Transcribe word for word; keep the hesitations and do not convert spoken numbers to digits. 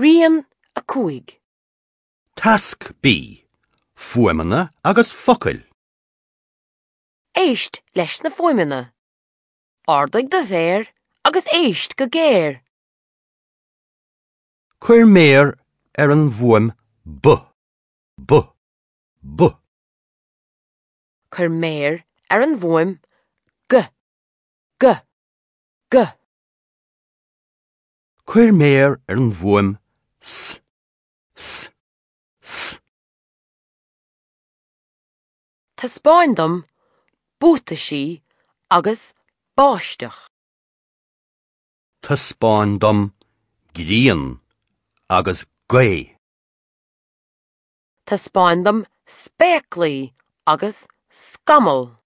Rian a cúig. Tasc B. Fuaimeanna agus focail. Éist leis na fuaimeanna. Ardaigh do mhéar agus éist go géar. Cuir méar ar an bhfuaim B. B. B. Cuir méar ar an bhfuaim G. G. G. Cuir méar ar an bhfuaim S. S. S. Taispeáin dom buataisí agus báisteach. Taispeáin dom grian agus gaoth. Taispeáin dom spéaclaí agus scamall.